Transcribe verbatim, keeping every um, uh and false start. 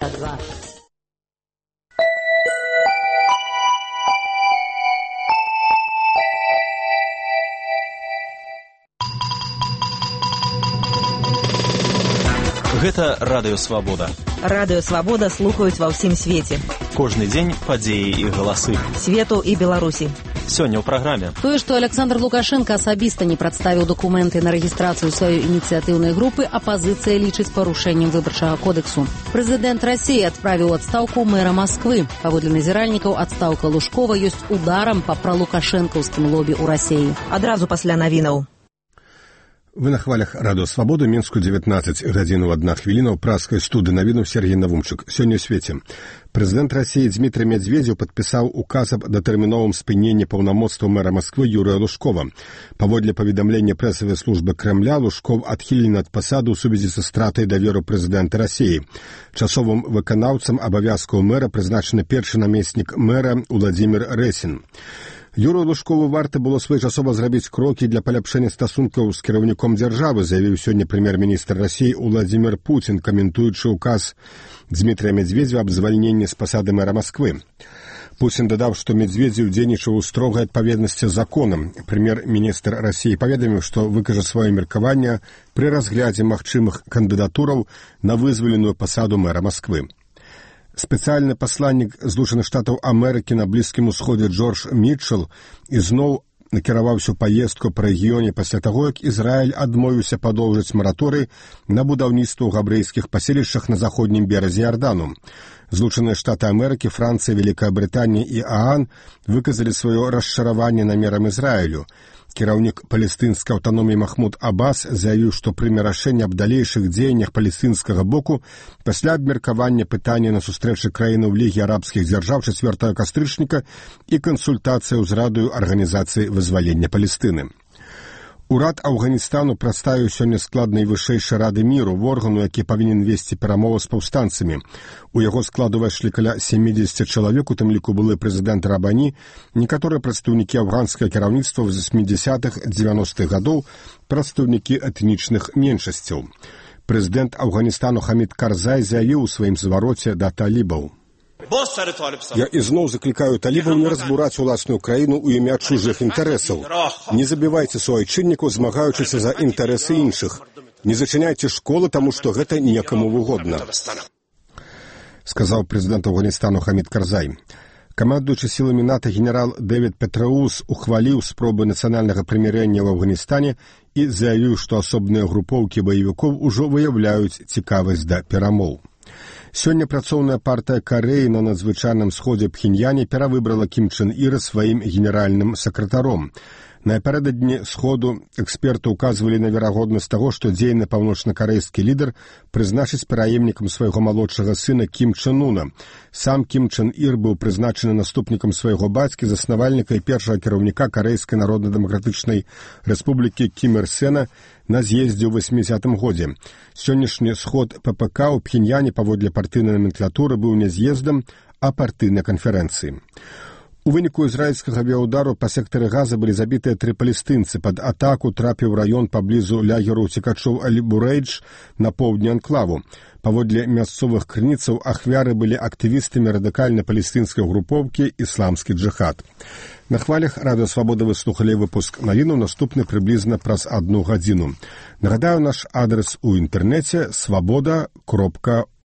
Два. Гэта радыё Свабода. Радыё Свабода слухаюць ва ўсім свеце. Кожны дзень падзеі і галасы. Свету і Беларусі. Сёння ў праграме. Тое, што Александр Лукашенко асабіста не прадставіў дакументы на рэгістрацыю сваёй ініцыятыўнай групы, апазіцыя лічыць парушэннем выбарчага кодэксу. Прэзідэнт Расіі адправіў у адстаўку мэра Масквы. Паводле назіральнікаў, адстаўка Лужкова ёсць ударам па пралукашэнкаўскім лобі ў Расіі. Адразу пасля навінаў. Вы на хвалях радыё Свабода, Мінску дзевятнаццаць гадзінаў адна хвіліна ў праскай студыі навінаў Сергей Навумчык. Сёння ў свеце. Прэзідэнт Расіі Дмітрый Медведзеў падпісаў указ аб датэрміновым спыненні паўнамоцтваў мэра Масквы Юрыя Лужкова. Паводле паведамлення прэсавай службы Крэмля, Лужков адхілены ад пасады ў сувязі са стратай даверу прэзідэнта Расіі. Часовым выканаўцам абавязкаў мэра прызначаны першы намеснік мэра Уладзімір Рэсін. Юрію Лужкову варта было своечасова зрабіць крокі для паляпшэння стасункаў з кіраўніком дзяржавы, заявіў сёння прэм'ер-міністр Расіі Уладзімір Пуцін, каментуючы ўказ Дмітрыя Медведзева аб звальненні з пасады мэра Масквы. Пуцін дадаў, што Медведзеў дзейнічаў у строгай адпаведнасці з законам. Прэм'ер-міністр Расіі паведаміў, што выкажа сваё меркаванне пры разглядзе магчымых кандыдатураў на вызваленую пасаду мэра Масквы. Спецыяльны пасланнік Злучаных Штатаў Амерыкі на Блізкім Усходзе Джордж Мітчел ізноў накіраваўся ў паездку па рэгіёне пасля таго, як Ізраіль адмовіўся падоўжыць мараторый на будаўніцтва ў габрэйскіх паселішчах на заходнім беразе Ярдану. Злучаныя Штаты Амерыкі, Францыя, Вялікая Брытанія і ААН выказалі сваё расчараванне намерам Ізраілю. Кіраўнік палестынскай аўтаноміі Махмуд Аббас заявіў, што прыме рашэнне аб далейшых дзеяннях палестынскага боку пасля абмеркавання пытання на сустрэчы краінаў Лігі арабскіх дзяржаў чацвёртага кастрычніка і кансультацыяў з радаю Арганізацыі вызвалення Палестыны. Урад Афганістану прадставіў сёння склад найвышэйшай рады міру, органу, які павінен весці перамовы з паўстанцамі. У яго склад увайшлі каля сямдзесят чалавек, у тым ліку былы прэзідэнт Рабані, некаторыя прадстаўнікі афганскага кіраўніцтва ў васьмідзясятых дзевяностых гадоў, прадстаўнікі этнічных меншасцяў. Прэзідэнт Афганістану Хамід Карзай заявіў у сваім звароце да талібаў. Я ізноў заклікаю талібаў не разбураць уласную краіну ў імя чужых інтарэсаў. Не забівайце суайчыннікаў, змагаючыся за інтарэсы іншых. Не зачыняйце школы, таму што гэта некаму выгодна, сказаў прэзідэнт Афганістану Хамід Карзай. Камандуючы сіламі НАТО генерал Дэвід Петраус ухваліў спробы нацыянальнага прымірэння ў Афганістане і заявіў, што асобныя групоўкі баевікоў ужо выяўляюць цікавасць да перамоў. Сёння працоўная партыя Карэі на надзвычайным сходзе Пхеньяне перавыбрала Кім Чен Іра сваім генеральным сакратаром. Напярэдадні сходу эксперты ўказвалі на верагоднасць таго, што дзейны паўночна-карэйскі лідар прызначыць пераемнікам свайго малодшага сына Кім Чен Уна. Сам Кім Чен Ір быў прызначаны наступнікам свайго бацькі, заснавальніка і першага кіраўніка Карэйскай народна-дэмакратычнай рэспублікі Кім Ір Сена на з'ездзе ў васьмідзесятым годзе. Сённяшні сход ППК ў Пхеньяне паводле партыйнай наменклатуры быў не з'ездам, а партыйнай канферэнцыі. У выніку ізраільскага авіаудару па сектары Газа былі забітыя тры палестынцы. Пад атаку трапіў раён паблізу лагеру уцекачоў Аль-Бурейдж на поўдні анклаву. Паводле мясцовых крыніцаў ахвяры былі актывістамі радыкальна-палестынскай групоўкі «Ісламскі джыхад». На хвалях радыё Свабода вы слухалі выпуск навінаў, наступны прыблізна праз адну гадзіну. Нагадаю, наш адрес у інтэрнэце свабода кропка